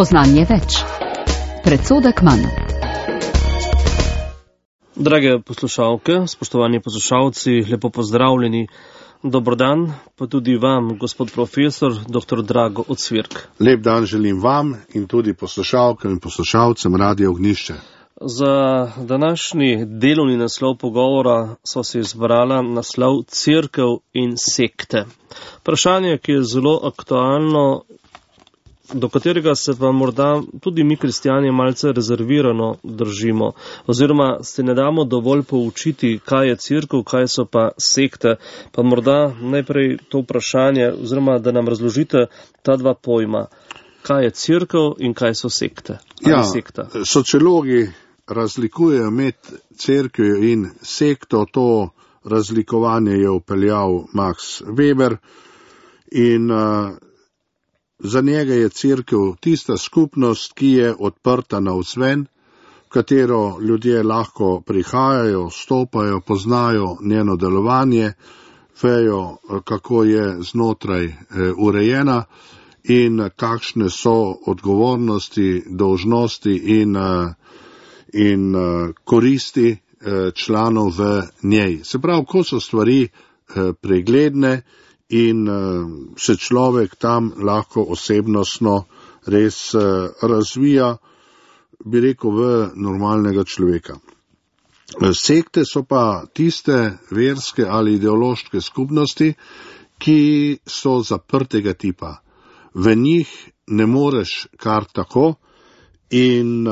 Spoznanje več. Predsodek manj. Drage poslušalke, spoštovani poslušalci, lepo pozdravljeni. Dober dan, pa tudi vam, gospod profesor, dr. Drago Ocvirk. Lep dan želim vam in tudi poslušalkam in poslušalcem Radia Ognjišče. Za današnji delovni naslov pogovora so se izbrala naslov Cerkev in sekte. Vprašanje, ki je zelo aktualno, do katerega se pa morda tudi mi kristijani malce rezervirano držimo, oziroma se ne damo dovolj poučiti, kaj je cerkev, kaj so pa sekte. Pa morda najprej to vprašanje, oziroma da nam razložite ta dva pojma, kaj je cerkev in kaj so sekte. Sociologi razlikujejo med cerkvijo in sekto, to razlikovanje je vpeljal Max Weber in za njega je cerkev tista skupnost, ki je odprta navzven, v katero ljudje lahko prihajajo, vstopajo, poznajo njeno delovanje, vejo, kako je znotraj urejena in kakšne so odgovornosti, dolžnosti in koristi članov v njej. Se pravi, ko so stvari pregledne in se človek tam lahko osebnostno res razvija, bi rekel, v normalnega človeka. Sekte so pa tiste verske ali ideološke skupnosti, ki so zaprtega tipa. V njih ne moreš kar tako in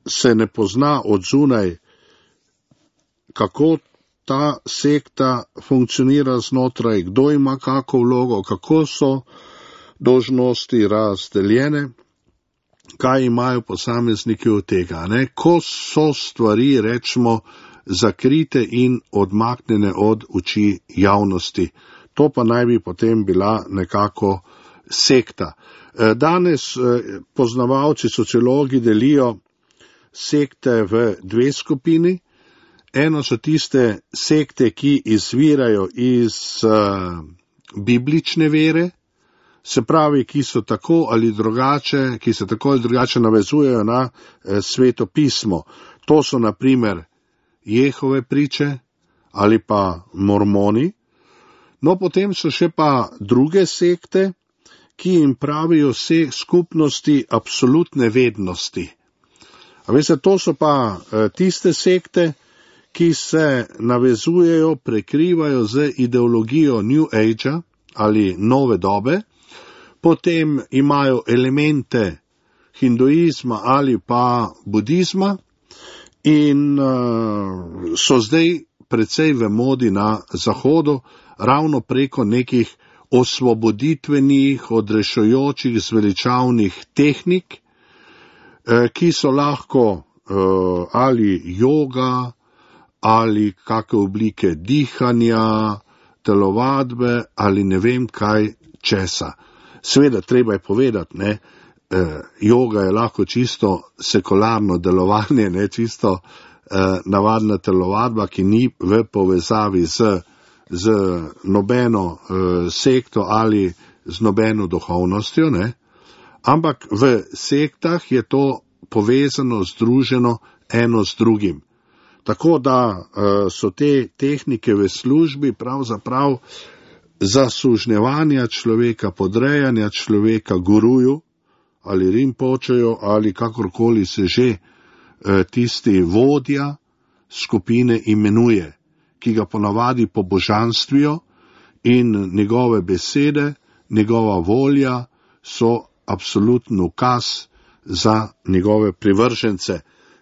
se ne pozna od zunaj, kako ta sekta funkcionira znotraj, kdo ima kako vlogo, kako so dolžnosti razdeljene, kaj imajo posamezniki od tega. Ko so stvari, rečemo, zakrite in odmaknjene od oči javnosti. To pa naj bi potem bila nekako sekta. Danes poznavalci, sociologi delijo sekte v dve skupini. Eno so tiste sekte, ki izvirajo iz biblične vere, se pravi, ki so tako ali drugače navezujejo na Sveto pismo. To so na primer Jehove priče ali pa mormoni. No, potem so še pa druge sekte, ki jim pravijo skupnosti absolutne vednosti. A veste, to so pa tiste sekte, ki se navezujejo, prekrivajo z ideologijo New Age ali nove dobe, potem imajo elemente hinduizma ali pa budizma in so zdaj precej v modi na Zahodu, ravno preko nekih osvoboditvenih, odrešujočih, zveličavnih tehnik, ki so lahko ali joga, ali kakšne oblike dihanja, telovadbe ali ne vem kaj česa. Seveda treba je povedati, joga je lahko čisto sekularno delovanje, čisto navadna telovadba, ki ni v povezavi z nobeno sekto ali z nobeno duhovnostjo, ampak v sektah je to povezano, združeno eno z drugim. Tako da so te tehnike v službi pravzaprav zasužnjevanja človeka, podrejanja človeka guruju ali rinpočeju ali kakorkoli se že tisti vodja skupine imenuje, ki ga ponavadi pobožanstvijo in njegove besede, njegova volja so absoluten ukaz za njegove privržence.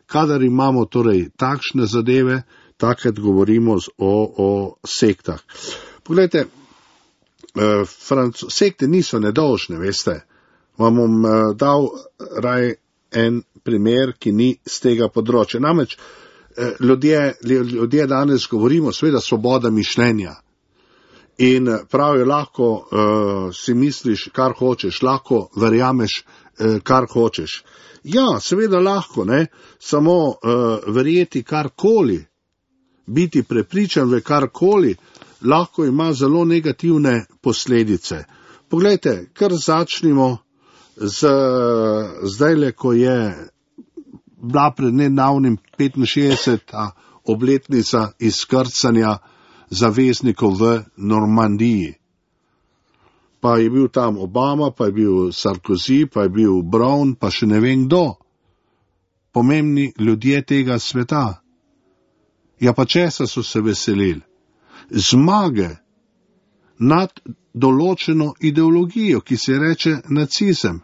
Kadar imamo torej takšne zadeve, takrat govorimo o sektah. Poglejte, sekte niso nedolžne, veste. Vam bom dal raj en primer, ki ni z tega področja. Namreč ljudje danes govorimo, seveda, svoboda mišljenja. In pravijo, lahko si misliš, kar hočeš, lahko verjameš, kar hočeš. Ja, seveda lahko, samo verjeti karkoli, biti prepričan v karkoli, lahko ima zelo negativne posledice. Poglejte, kar začnimo zdajle, ko je bila pred nedavnim 65. obletnica izkrcanja zaveznikov v Normandiji. Pa je bil tam Obama, pa je bil Sarkozy, pa je bil Brown, pa še ne vem kdo. Pomembni ljudje tega sveta. Ja, pa česa so se veselili? Zmage nad določeno ideologijo, ki se reče nacizem.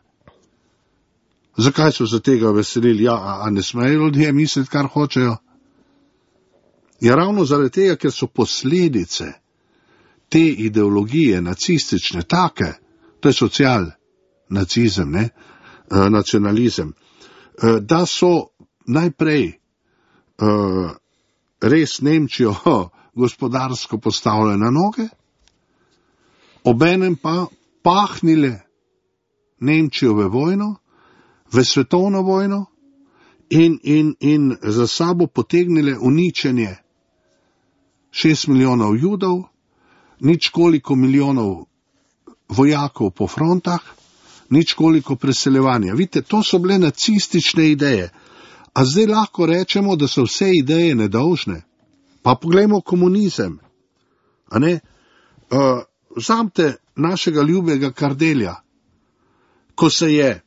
Zakaj so se tega veselili? Ja, a ne smejo ljudje misliti, kar hočejo? Ja, ravno zaradi tega, ker so posledice te ideologije nacistične take, to je social-nacizem, nacionalizem, da so najprej res Nemčijo gospodarsko postavile na noge, obenem pa pahnile Nemčijo v vojno, v svetovno vojno in za sabo potegnile uničenje 6 milijonov Judov, nič koliko milijonov vojakov po frontah, nič koliko preseljevanja. Vidite, to so bile nacistične ideje. A zdaj lahko rečemo, da so vse ideje nedolžne? Pa poglejmo komunizem. A ne? Vzamte našega ljubega Kardelja, ko se je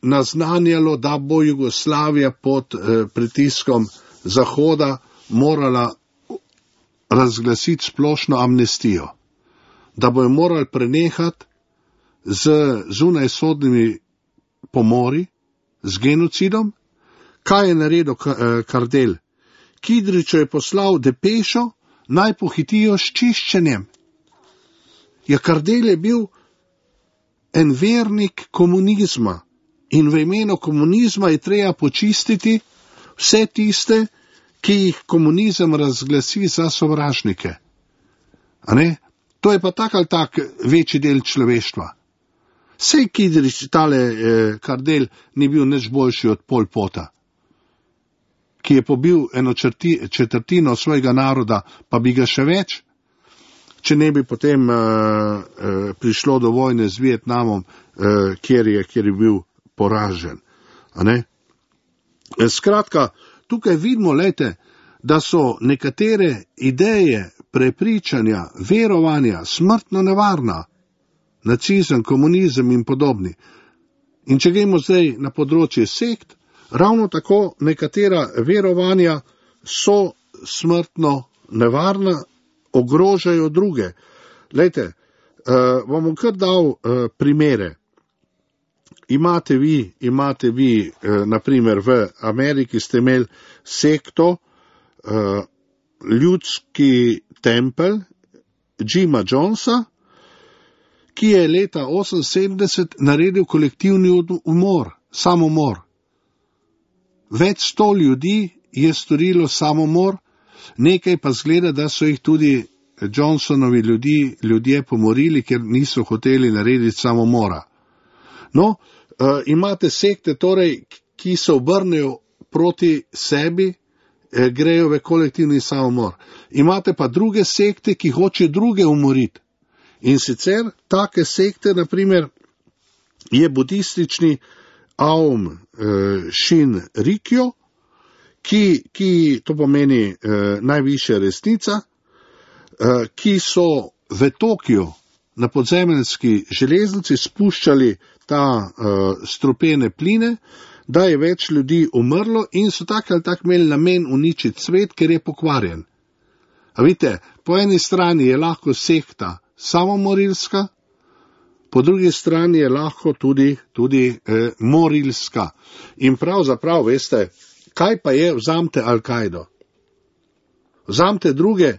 naznanjalo, da bo Jugoslavija pod pritiskom Zahoda morala razglasiti splošno amnestijo, da bojo morali prenehati z zunajsodnimi pomori, z genocidom. Kaj je naredil Kardelj? Kidriču je poslal depešo, naj pohitijo s čiščenjem. Ja, Kardelj je bil en vernik komunizma in v imenu komunizma je treba počistiti vse tiste, ki jih komunizem razglasi za sovražnike. A ne? To je pa tak ali tak večji del človeštva. Sej Kidrič, tale Kardelj, ni bil nič boljši od Pol Pota, ki je pobil eno četrtino svojega naroda, pa bi ga še več, če ne bi potem prišlo do vojne z Vietnamom, kjer je bil poražen. A ne? Skratka, tukaj vidimo, lejte, da so nekatere ideje, prepričanja, verovanja smrtno nevarna. Nacizem, komunizem in podobni. In če gremo zdaj na področje sekt, ravno tako nekatera verovanja so smrtno nevarna, ogrožajo druge. Lejte, vam bom kar dal primere. Imate vi, naprimer v Ameriki ste imeli sekto, ljudski tempelj Jima Jonesa, ki je leta 1978 naredil kolektivni umor, samomor. Več 100 ljudi je storilo samomor, nekaj pa zgleda, da so jih tudi Johnsonovi ljudje pomorili, ker niso hoteli narediti samomora. No, imate sekte, torej, ki se obrnejo proti sebi, grejo v kolektivni samomor. Imate pa druge sekte, ki hoče druge umoriti. In sicer take sekte, naprimer, je budistični Aum Shinrikyo, ki to pomeni najvišja resnica, ki so v Tokiu na podzemeljski železnici spuščali ta strupene pline, da je več ljudi umrlo in so tak ali tak imeli namen uničiti svet, ker je pokvarjen. A vidite, po eni strani je lahko sekta samomorilska, po drugi strani je lahko tudi morilska. In pravzaprav, veste, kaj pa je, vzamte Al-Kaido, vzamte druge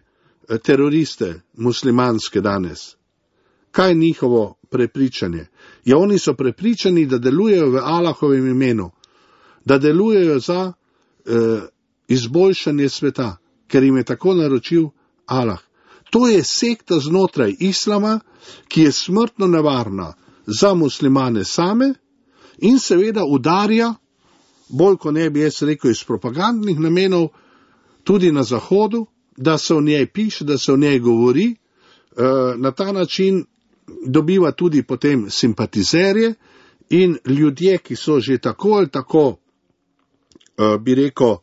teroriste muslimanske danes. Kaj je njihovo prepričanje? Ja, oni so prepričani, da delujejo v Allahovem imenu, da delujejo za izboljšanje sveta, ker jim je tako naročil Allah. To je sekta znotraj islama, ki je smrtno nevarna za muslimane same in seveda udarja, bolj ko ne bi jaz rekel iz propagandnih namenov, tudi na Zahodu, da se o njej piše, da se o njej govori, na ta način dobiva tudi potem simpatizerje In ljudje, ki so že tako ali tako, bi rekel,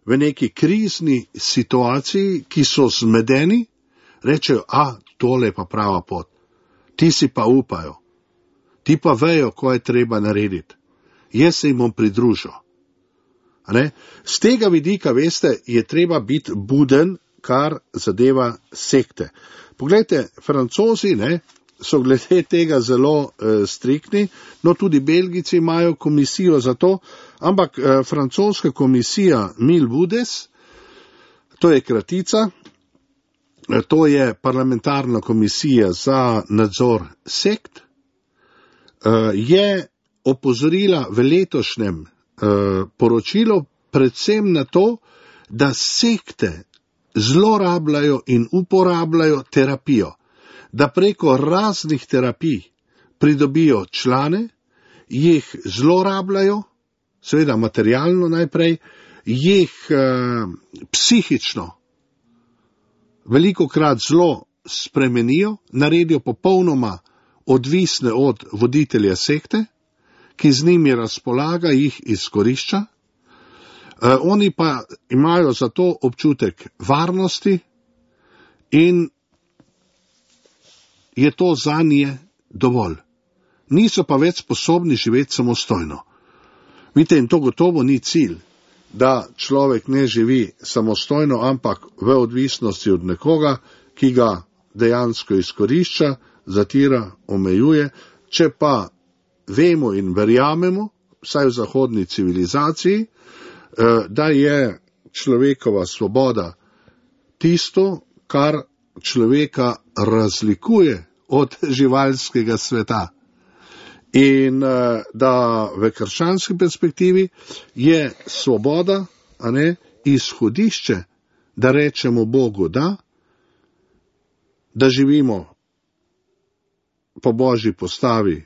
v neki krizni situaciji, ki so zmedeni, rečejo, tole je pa prava pot. Ti si pa upajo. Ti pa vejo, ko je treba narediti. Jaz se jim bom pridružil. Z tega vidika, veste, je treba biti buden, kar zadeva sekte. Poglejte, Francozi, so glede tega zelo striktni, no tudi Belgijci imajo komisijo za to, ampak francoska komisija Mille Budes, to je kratica, to je parlamentarna komisija za nadzor sekt, je opozorila v letošnjem poročilu predvsem na to, da sekte zlorabljajo in uporabljajo terapijo, da preko raznih terapij pridobijo člane, jih zlorabljajo, seveda materialno najprej, jih psihično velikokrat zelo spremenijo, naredijo popolnoma odvisne od voditelja sekte, ki z njimi razpolaga, jih izkorišča. Oni pa imajo za to občutek varnosti in je to zanje dovolj. Niso pa več sposobni živeti samostojno. Vidite, in to gotovo ni cilj, da človek ne živi samostojno, ampak v odvisnosti od nekoga, ki ga dejansko izkorišča, zatira, omejuje. Če pa vemo in verjamemo, vsaj v zahodni civilizaciji, da je človekova svoboda tisto, kar človeka razlikuje od živalskega sveta. In da v krščanski perspektivi je svoboda, izhodišče, da rečemo Bogu da živimo po Božji postavi,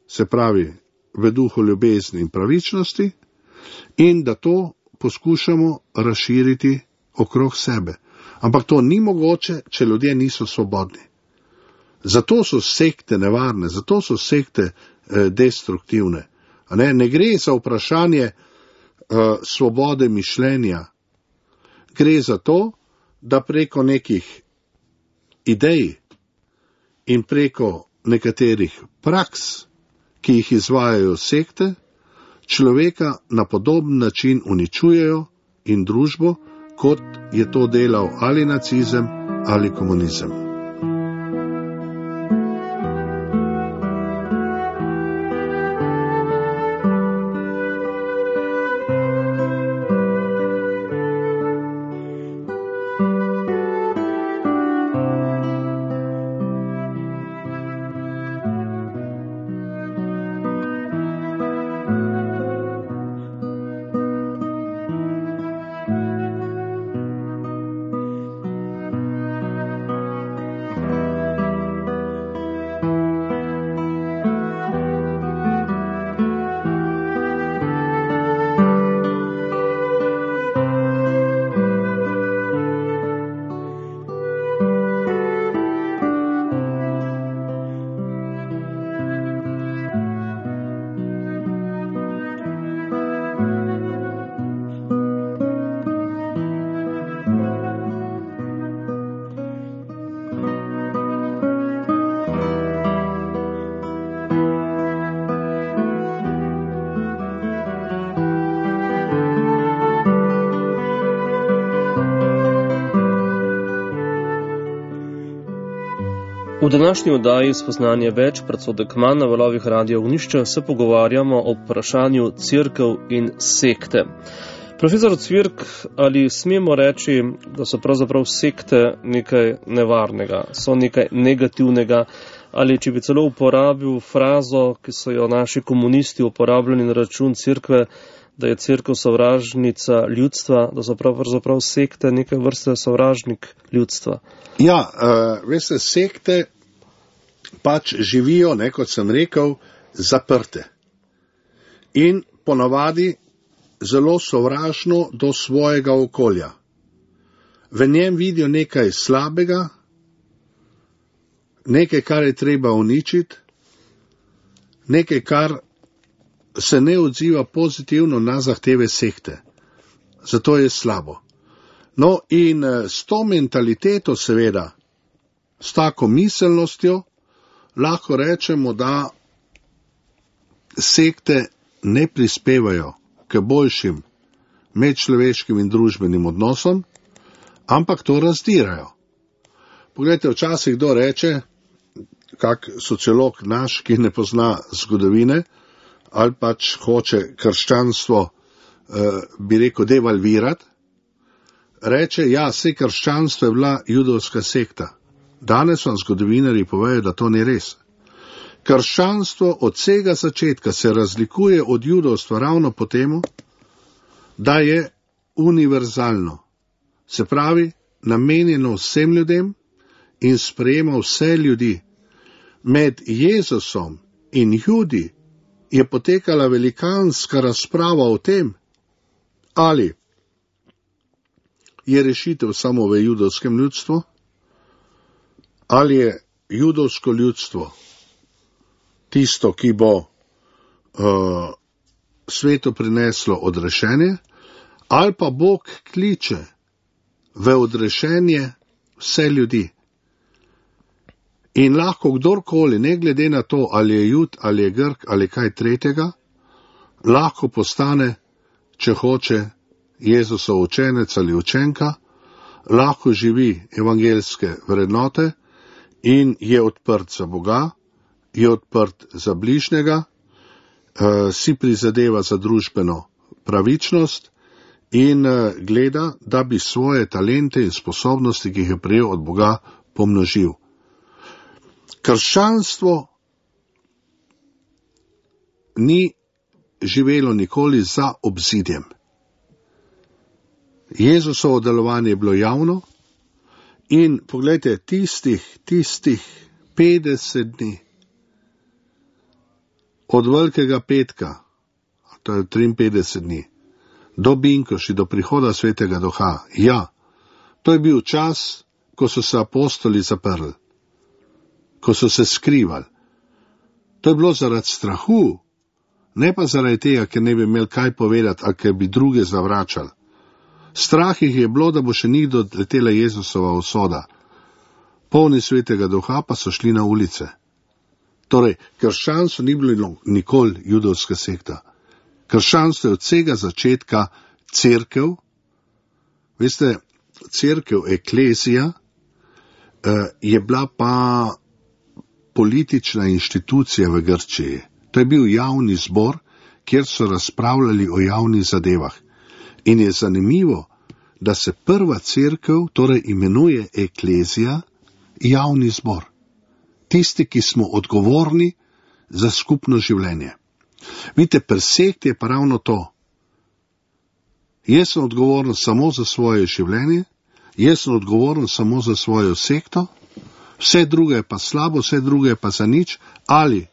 se pravi v duhu ljubezni in pravičnosti, in da to poskušamo razširiti okrog sebe. Ampak to ni mogoče, če ljudje niso svobodni. Zato so sekte nevarne, zato so sekte destruktivne. Ne gre za vprašanje svobode mišljenja. Gre za to, da preko nekih idej in preko nekaterih praks, ki jih izvajajo sekte, človeka na podoben način uničujejo in družbo, kot je to delal ali nacizem ali komunizem. V današnji oddaji Spoznanje več, predsodek manj na valovih Radio Ognišče, se pogovarjamo o vprašanju cerkev in sekte. Profesor Cvirk, ali smemo reči, da so pravzaprav sekte nekaj nevarnega, so nekaj negativnega, ali če bi celo uporabil frazo, ki so jo naši komunisti uporabljali na račun cerkve, da je cerkev sovražnica ljudstva, da so pravzaprav sekte neke vrste sovražnik ljudstva? Ja, veste, sekte pač živijo, kot sem rekel, zaprte. In ponavadi zelo sovražno do svojega okolja. V njem vidijo nekaj slabega, nekaj, kar je treba uničiti, nekaj, kar se ne odziva pozitivno na zahteve sekte. Zato je slabo. No, in s to mentaliteto seveda, s tako miselnostjo, lahko rečemo, da sekte ne prispevajo k boljšim medčloveškim in družbenim odnosom, ampak to razdirajo. Poglejte, včasih kdo reče, kak sociolog naš, ki ne pozna zgodovine, ali pač hoče krščanstvo, bi rekel, devalvirati, reče, ja, saj krščanstvo je bila judovska sekta. Danes vam zgodovinarji povejo, da to ni res. Krščanstvo od vsega začetka se razlikuje od judovstva ravno po temu, da je univerzalno. Se pravi, namenjeno vsem ljudem in sprejema vse ljudi. Med Jezusom in Judi je potekala velikanska razprava o tem, ali je rešitev samo v judovskem ljudstvu, ali je judovsko ljudstvo tisto, ki bo svetu prineslo odrešenje, ali pa Bog kliče v odrešenje vse ljudi. In lahko kdorkoli, ne glede na to, ali je Jud, ali je Grk, ali kaj tretjega, lahko postane, če hoče, Jezusov učenec ali učenka, lahko živi evangeljske vrednote in je odprt za Boga, je odprt za bližnjega, si prizadeva za družbeno pravičnost in gleda, da bi svoje talente in sposobnosti, ki jih je prejel od Boga, pomnožil. Krščanstvo ni živelo nikoli za obzidjem. Jezusovo delovanje je bilo javno in poglejte, tistih 50 dni od Velikega petka, to je 53 dni, do Binkoši, do prihoda Svetega Duha, ja, to je bil čas, ko so se apostoli zaprli, ko so se skrivali. To je bilo zaradi strahu, ne pa zaradi tega, ker ne bi imeli kaj povedati, ali ker bi druge zavračali. Strah jih je bilo, da bo še njih doletela Jezusova usoda. Polni Svetega Duha pa so šli na ulice. Torej, krščanstvo ni bilo nikoli judovska sekta. Krščanstvo je od vsega začetka cerkev. Veste, cerkev, eklezija, je bila pa politična inštitucija v Grčiji. To je bil javni zbor, kjer so razpravljali o javnih zadevah. In je zanimivo, da se prva cerkev, torej imenuje eklezija, javni zbor. Tisti, ki smo odgovorni za skupno življenje. Vidite, pri sekti je pa ravno to. Jaz sem odgovoren samo za svoje življenje, jaz sem odgovoren samo za svojo sekto, vse druge je pa slabo, vse druge je pa za nič, ali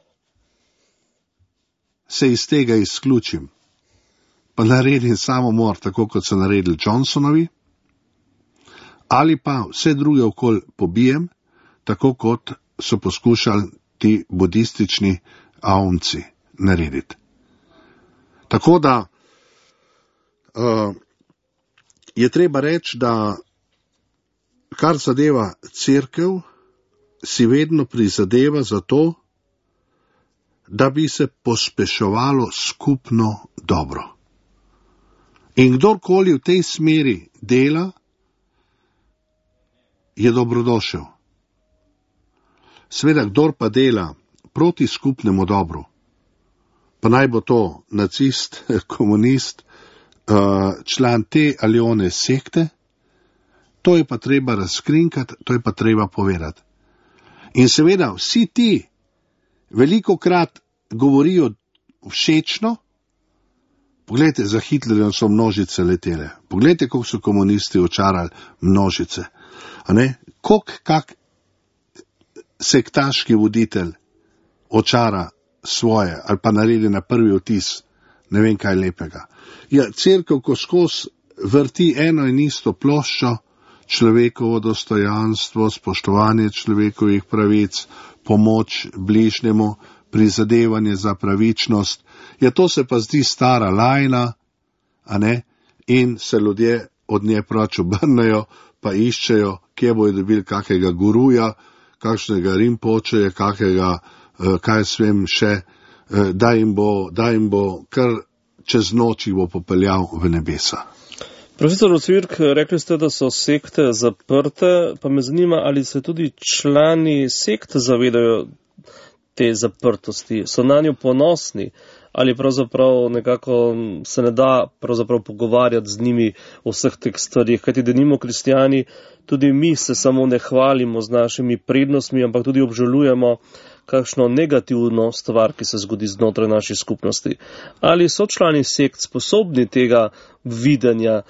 se iz tega izključim, pa naredim samomor, tako kot so naredili Johnsonovi, ali pa vse druge okoli pobijem, tako kot so poskušali ti budistični aumci narediti. Tako da je treba reči, da kar zadeva cerkev, si vedno prizadeva za to, da bi se pospeševalo skupno dobro. In kdorkoli v tej smeri dela, je dobrodošel. Sveda, kdor pa dela proti skupnemu dobru, pa naj bo to nacist, komunist, član te ali one sekte, to je pa treba razkrinkati, to je pa treba povedati. In seveda, vsi ti velikokrat govorijo všečno. Poglejte, za Hitlerjem so množice letele. Poglejte, koliko so komunisti očarali množice. Kak sektaški voditelj očara svoje, ali pa naredi na prvi vtis, ne vem kaj lepega. Ja, cerkev, ko skozi vrti eno in isto ploščo, človekovo dostojanstvo, spoštovanje človekovih pravic, pomoč bližnjemu, prizadevanje za pravičnost. Ja, to se pa zdi stara lajna, a ne? In se ljudje od nje prač obrnejo, pa iščejo, kje bojo dobili kakega guruja, kakšnega rimpočeja, kakega, kaj svem še, da jim bo kar čez noč jih bo popeljal v nebesa. Profesor Ocvirk, rekli ste, da so sekte zaprte, pa me zanima, ali se tudi člani sekt zavedajo te zaprtosti, so na njo ponosni, ali pravzaprav nekako se ne da pravzaprav pogovarjati z njimi o vseh teh stvarih, kajti denimo kristijani, tudi mi se samo ne hvalimo z našimi prednostmi, ampak tudi obžalujemo kakšno negativno stvar, ki se zgodi znotraj naših skupnosti. Ali so člani sekt sposobni tega videnja,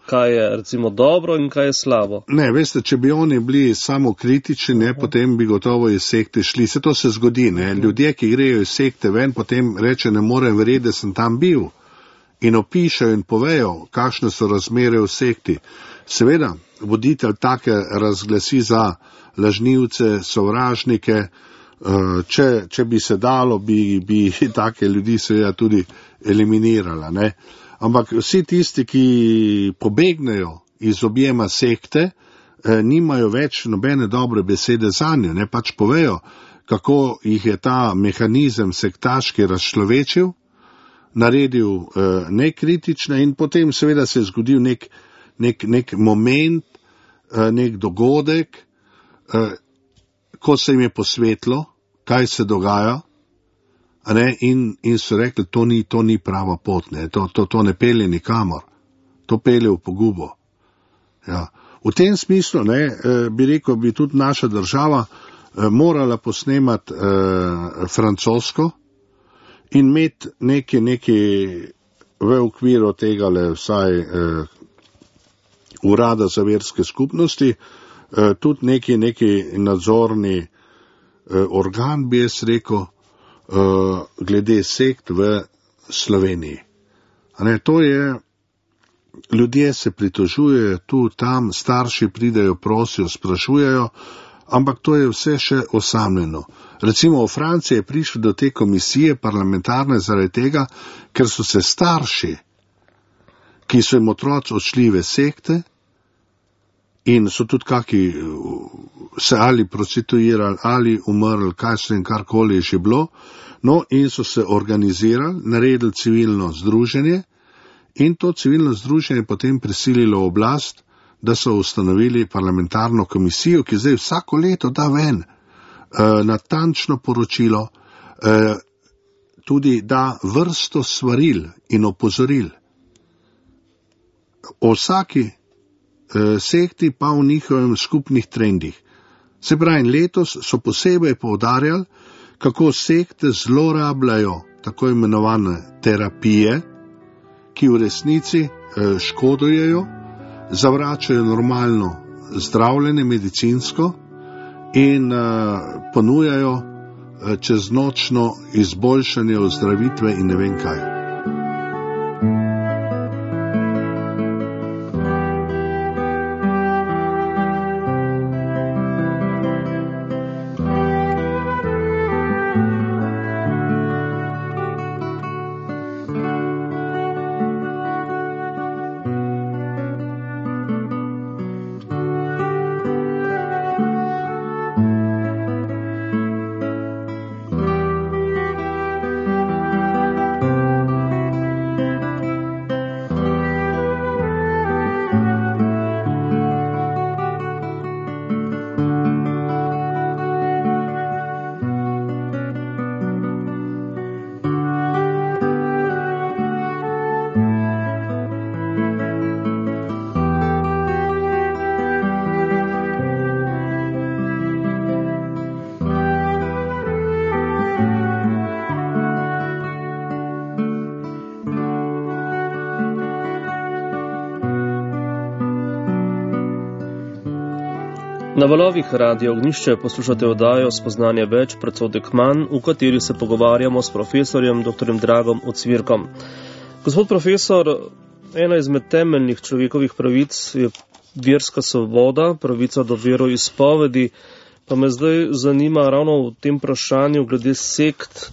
kaj je recimo dobro in kaj je slabo? Ne, veste, če bi oni bili samo kritični, ne, potem bi gotovo iz sekte šli. Se to se zgodi, ne. Ljudje, ki grejo iz sekte ven, potem reče, ne morem verjeti, da sem tam bil. In opišajo in povejo, kakšne so razmere v sekti. Seveda, voditelj take razglasi za lažnivce, sovražnike. Če bi se dalo, bi take ljudi seveda tudi eliminirala, ne. Ampak vsi tisti, ki pobegnejo iz objema sekte, nimajo več nobene dobre besede zanjo, ne, pač povejo, kako jih je ta mehanizem sektaški razčlovečil, naredil nekritične in potem seveda se je zgodil nek moment, nek dogodek, ko se jim je posvetlo, kaj se dogaja, ne, in so rekli, to ni prava pot, ne, to ne pelje nikamor, to pelje v pogubo. Ja. V tem smislu, ne, bi rekel, bi tudi naša država morala posnemati francosko in imeti neki v okviru tega vsaj urada za verske skupnosti, tudi neki nadzorni organ, bi jaz rekel, glede sekt v Sloveniji. Ne, to je, ljudje se pritožujejo tu, tam, starši pridejo, prosijo, sprašujejo, ampak to je vse še osamljeno. Recimo v Franciji je prišlo do te komisije parlamentarne zaradi tega, ker so se starši, ki so jim otroci odšli v sekte in so tudi kaki se ali prostituirali, ali umrli, kaj so jim karkoli že bilo, no in so se organizirali, naredili civilno združenje in to civilno združenje potem prisililo oblast, da so ustanovili parlamentarno komisijo, ki zdaj vsako leto da ven natančno poročilo, tudi da vrsto svaril in opozoril. O vsaki sekti pa v njihovem skupnih trendih. Se pravi, letos so posebej poudarjali, kako sekte zlorabljajo tako imenovane terapije, ki v resnici škodujejo, zavračajo normalno zdravljenje medicinsko in ponujajo čeznočno izboljšanje ozdravitve in ne vem kaj. Na valovih Radio Ognjišče poslušate oddajo Spoznanje več, predsodek manj, v kateri se pogovarjamo s profesorjem dr. Dragom Ocvirkom. Gospod profesor, ena izmed temeljnih človekovih pravic je verska svoboda, pravica do veroizpovedi, Pa me zdaj zanima ravno v tem vprašanju glede sekt,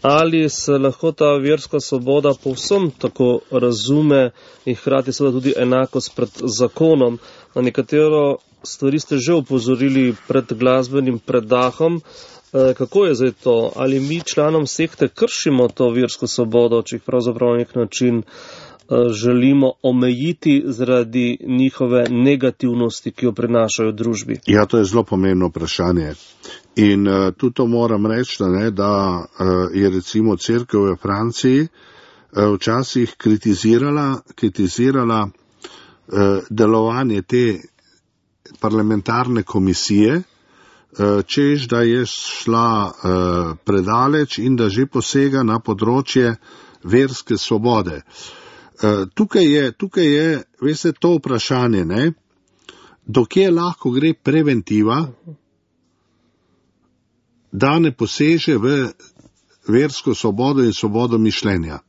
ali se lahko ta verska svoboda povsem tako razume in hkrati seveda tudi enakost pred zakonom. Na nekatero stvari ste že upozorili pred glasbenim predahom. Kako je zdaj to? Ali mi članom sekte kršimo to versko svobodo, če jih pravzaprav na nek način želimo omejiti zaradi njihove negativnosti, ki jo prinašajo v družbi? Ja, to je zelo pomembno vprašanje. In tudi to moram reči, da je recimo cerkev v Franciji včasih kritizirala delovanje te parlamentarne komisije, češ, da je šla predaleč in da že posega na področje verske svobode. Tukaj je, veste, to vprašanje, dokje lahko gre preventiva, da ne poseže v versko svobodo in svobodo mišljenja.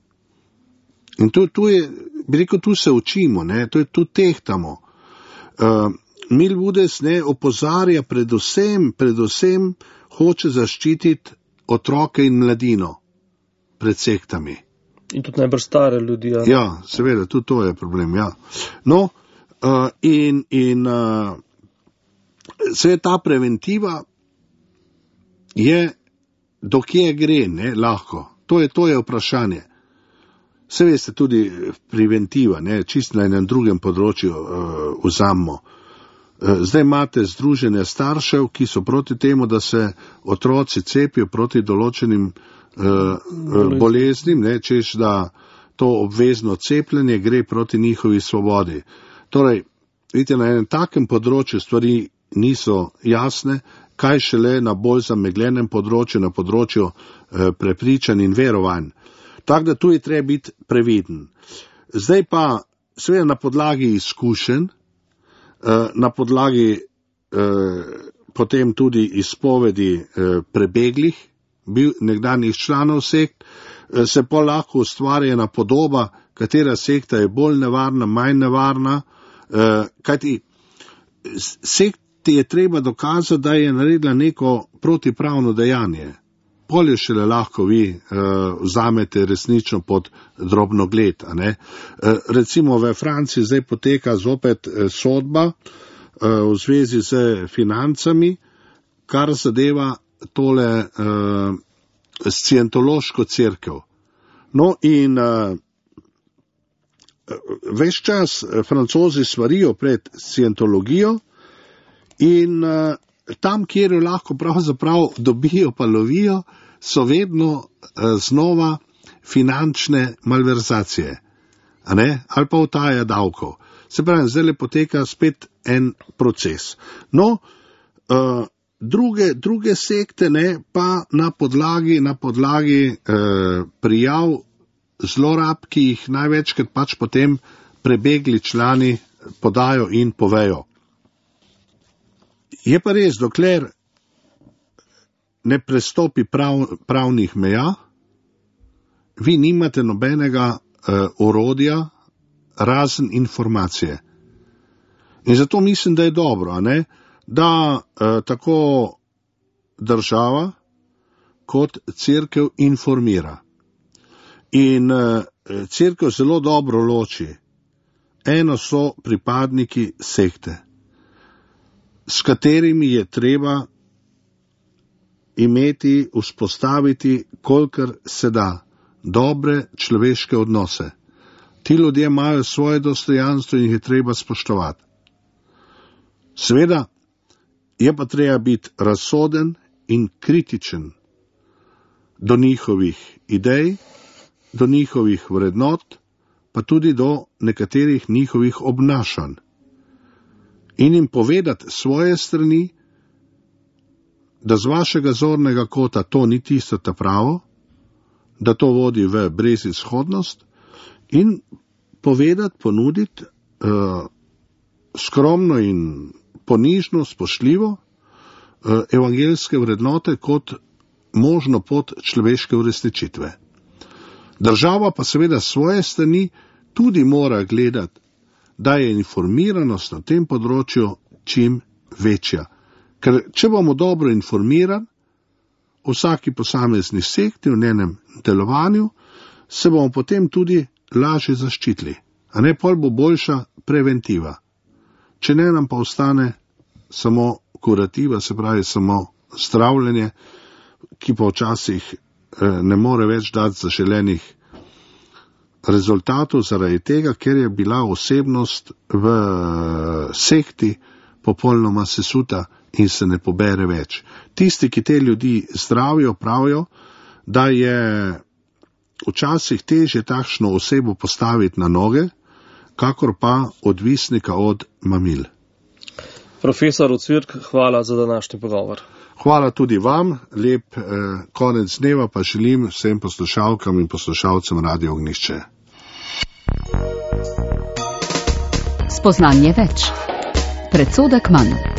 In tu je, bi rekel, tu se učimo, tu tehtamo. Milvudes opozarja predvsem hoče zaščititi otroke in mladino pred sektami. In tudi najbolj stare ljudi. Ja, seveda, tudi to je problem, ja. No, vse ta preventiva je, dokje gre, lahko. To je vprašanje. Vse veste, tudi preventiva, čisto na enem drugem področju vzamemo. Zdaj imate združenje staršev, ki so proti temu, da se otroci cepijo proti določenim boleznim, češ da to obvezno cepljenje gre proti njihovi svobodi. Torej, vidite, na enem takem področju stvari niso jasne, kaj šele na bolj zamegljenem področju, na področju prepričanj in verovanj. Tako da tu je treba biti previden. Zdaj pa, seveda na podlagi izkušenj, na podlagi potem tudi izpovedi prebeglih, nekdanjih članov sekt, se pa lahko ustvarja ena podoba, katera sekta je bolj nevarna, manj nevarna, kajti sekti je treba dokazati, da je naredila neko protipravno dejanje. Polje šele lahko vi vzamete resnično pod drobnogled. Recimo v Franciji zdaj poteka zopet sodba v zvezi z financami, kar zadeva tole scientološko cerkev. No in ves čas Francozi svarijo pred scientologijo in tam, kjer jo lahko pravzaprav dobijo pa lovijo, so vedno znova finančne malverzacije, ali pa utaja davkov. Se pravi, zdaj poteka spet en proces. No, druge sekte pa na podlagi prijav zlorab, ki jih največkrat pač potem prebegli člani podajo in povejo. Je pa res, dokler ne prestopi pravnih meja, vi nimate nobenega orodja razen informacije. In zato mislim, da je dobro, da tako država kot cerkev informira. In cerkev zelo dobro loči. Eno so pripadniki sekte, s katerimi je treba imeti, vzpostaviti, kolikor se da, dobre človeške odnose. Ti ljudje imajo svoje dostojanstvo in jih je treba spoštovati. Seveda je pa treba biti razsoden in kritičen do njihovih idej, do njihovih vrednot, pa tudi do nekaterih njihovih obnašanj. In jim povedati svoje strani, da z vašega zornega kota to ni tisto ta pravo, da to vodi v brezizhodnost, in povedati, ponuditi skromno in ponižno, spoštljivo evangeljske vrednote kot možno pot človeške uresničitve. Država pa seveda svoje strani tudi mora gledati, da je informiranost na tem področju čim večja. Ker če bomo dobro informirani o vsaki posamezni sekti, v njenem delovanju, se bomo potem tudi lažje zaščitili. A ne, pol bo boljša preventiva. Če ne, nam pa ostane samo kurativa, se pravi samo zdravljenje, ki pa včasih ne more več dati zaželenih rezultatov zaradi tega, ker je bila osebnost v sekti popolnoma sesuta in se ne pobere več. Tisti, ki te ljudi zdravijo, pravijo, da je včasih težje takšno osebo postaviti na noge, kakor pa odvisnika od mamil. Profesor Ocvirk, hvala za današnji pogovor. Hvala tudi vam, lep konec dneva pa želim vsem poslušalkam in poslušalcem Radio Ognjišče. Spoznanje več. Predsodek manj.